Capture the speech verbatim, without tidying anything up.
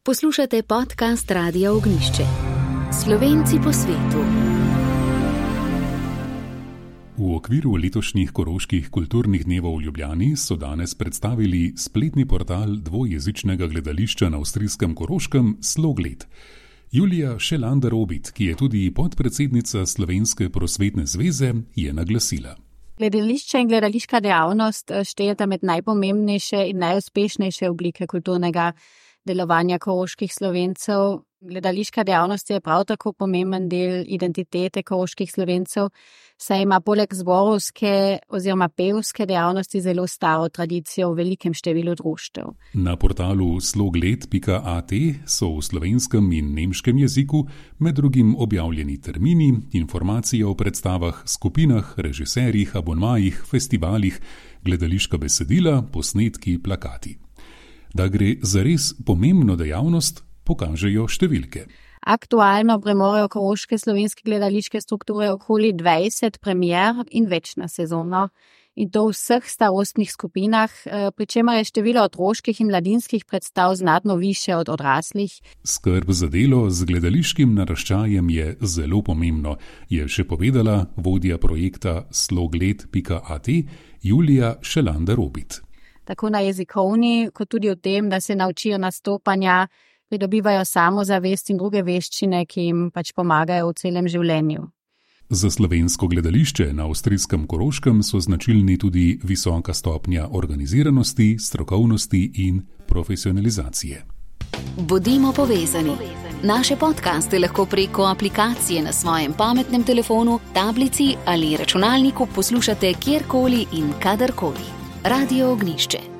Poslušate podcast Radia Ognjišče. Slovenci po svetu. V okviru letošnjih koroških kulturnih dnevov v Ljubljani so danes predstavili spletni portal dvojezičnega gledališča na avstrijskem Koroškem Slogled. Julija Šelander-Robit, ki je tudi podpredsednica Slovenske prosvetne zveze, je naglasila. Gledališče in gledališka dejavnost štejeta med najpomembnejše in najuspešnejše oblike kulturnega delovanja koroških Slovencev. Gledališka dejavnost je prav tako pomemben del identitete koroških Slovencev, saj ima poleg zborovske oziroma pevske dejavnosti zelo staro tradicijo v velikem številu društev. Na portalu slogled pika at so v slovenskem in nemškem jeziku med drugim objavljeni termini, informacije o predstavah, skupinah, režiserjih, abonmajih, festivalih, gledališka besedila, posnetki, plakati. Da gre za res pomembno dejavnost, pokažejo številke. Aktualno premorejo koroške slovenske gledališke strukture okoli dvajset premier in več na sezono. In to v vseh starostnih skupinah, pri čemer je število otroških in mladinskih predstav znatno više od odraslih. Skrb za delo z gledališkim naraščajem je zelo pomembno, je še povedala vodja projekta slogled pika at Julija Šelander-Robit. Tako na jezikovni, kot tudi v tem, da se naučijo nastopanja, pridobivajo samozavest in druge veščine, ki jim pač pomagajo v celem življenju. Za slovensko gledališče na avstrijskem Koroškem so značilni tudi visoka stopnja organiziranosti, strokovnosti in profesionalizacije. Bodimo povezani. Naše podcaste lahko preko aplikacije na svojem pametnem telefonu, tablici ali računalniku poslušate kjerkoli in kadarkoli. Radio Ognjišče.